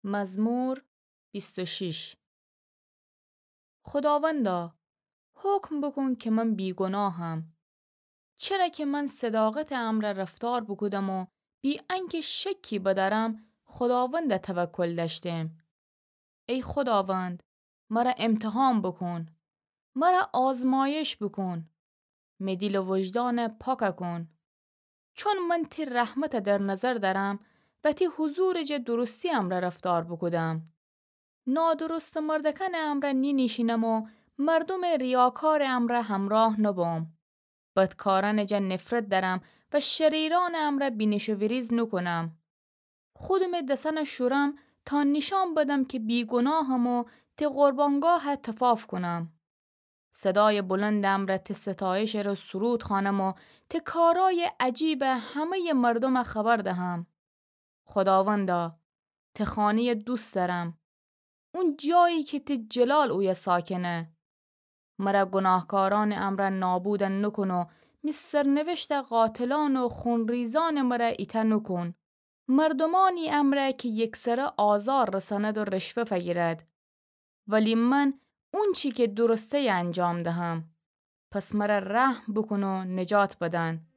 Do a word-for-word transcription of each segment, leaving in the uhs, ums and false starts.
مزمور بیست و شش. خوداوندا، حکم بوکون که من بیگناهم. چره که من صداقتٚ امرأ رفتار بوکودم و بی انکه شکی بدأرم، خوداوندا توکل دأشتم. ای خوداوند، مرا امتحان بوکون، مرا آزمایش بوکون، می دیل و وجدان پاک کون. چون من تی رحمت در نظر دأرم و تی حضورٚ جا درستی امرأ رفتار بوکودم. نادرست مردکأنٚ امرأ نینیشینم و مردومٚ ریاکارٚ امرأ همراه نبوم. بدکارأنٚ جا نفرت دأرم و شریرأنٚ امرأ بینیش و ویریز نوکونم. خودمٚ دسأن شورم تا نیشأن بدم که بیگناهم و تی قربانگاه تفاف کونم. صدایٚ بلندٚ امرأ تی ستایشٚ ره سرود خوأنم و تی کارأیٚ عجیب همه‌یٚ مردوم خبر دهم. خوداوندا، تی خانه‌یٚ دوست دأرم، اون جایی که تی جلال اویه ساکنه. مرا گناهکارأنٚ امرأ نابود نوکون و می سرنوشت قاتلأن و خونریزأنٚ مرأ ایتأ نوکون. مردومأنی امرأ که یکسره آزار رسأند و رشوه فگیرد. ولی من اونچی که درسته‌یه انجام دهم. پس مرا رحم بوکون و نجات بدن.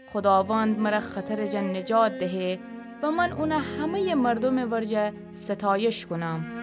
خوداوند مرا خطرٚ جا نجات دهه و من اون همه‌یٚ مردومٚ ورجه ستایش کونم.